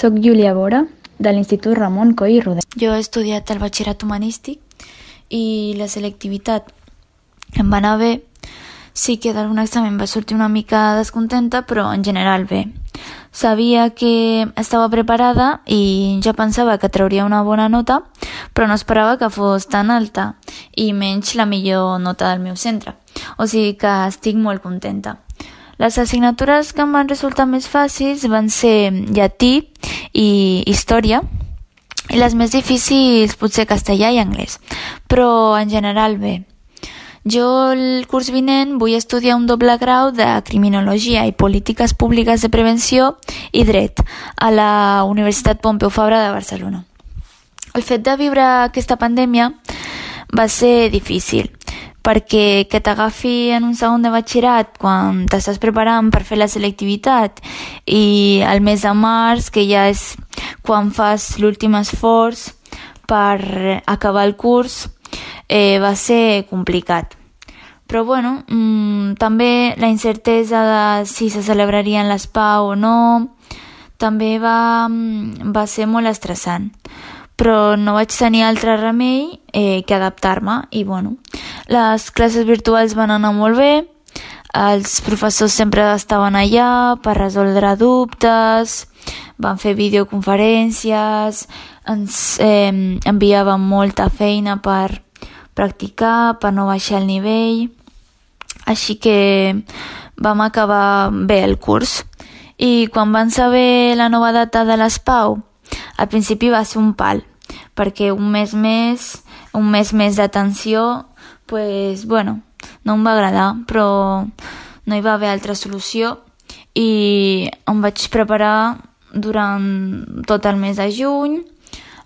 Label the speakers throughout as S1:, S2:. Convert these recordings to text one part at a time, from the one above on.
S1: Soc Júlia Bora, de l'Institut Ramon Coll i Roder.
S2: Jo he estudiat el batxillerat humanístic i la selectivitat em va anar bé. Sí que d'algun examen va sortir una mica descontenta, però en general bé. Sabia que estava preparada i ja pensava que trauria una bona nota, però no esperava que fos tan alta i menys la millor nota del meu centre. O sigui que estic molt contenta. Les assignatures que em van resultar més fàcils van ser llatí i història, i les més difícils potser castellà i anglès, però en general bé. Jo el curs vinent vull estudiar un doble grau de Criminologia i Polítiques Públiques de Prevenció i Dret a la Universitat Pompeu Fabra de Barcelona. El fet de viure aquesta pandèmia va ser difícil, perquè que t'agafi en un segon de batxillerat quan t'estàs preparant per fer la selectivitat i al mes de març, que ja és quan fas l'últim esforç per acabar el curs, va ser complicat. Però bueno, també la incertesa de si se celebrarien les PAU o no també va ser molt estressant. Però no vaig tenir altre remei que adaptar-me i bueno, les classes virtuals van anar molt bé, els professors sempre estaven allà per resoldre dubtes, van fer videoconferències, ens enviaven molta feina per practicar, per no baixar el nivell, així que vam acabar bé el curs. I quan van saber la nova data de les PAU, al principi va ser un pal, perquè un mes més d'atenció, pues, bueno, no em va agradar, però no hi va haver altra solució i em vaig preparar durant tot el mes de juny.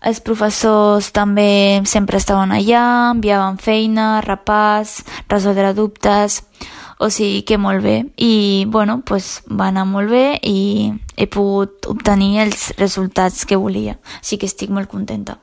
S2: Els professors també sempre estaven allà, enviaven feina, repàs, resoldre dubtes, o sigui que molt bé. I bueno, pues, va anar molt bé i he pogut obtenir els resultats que volia, així que estic molt contenta.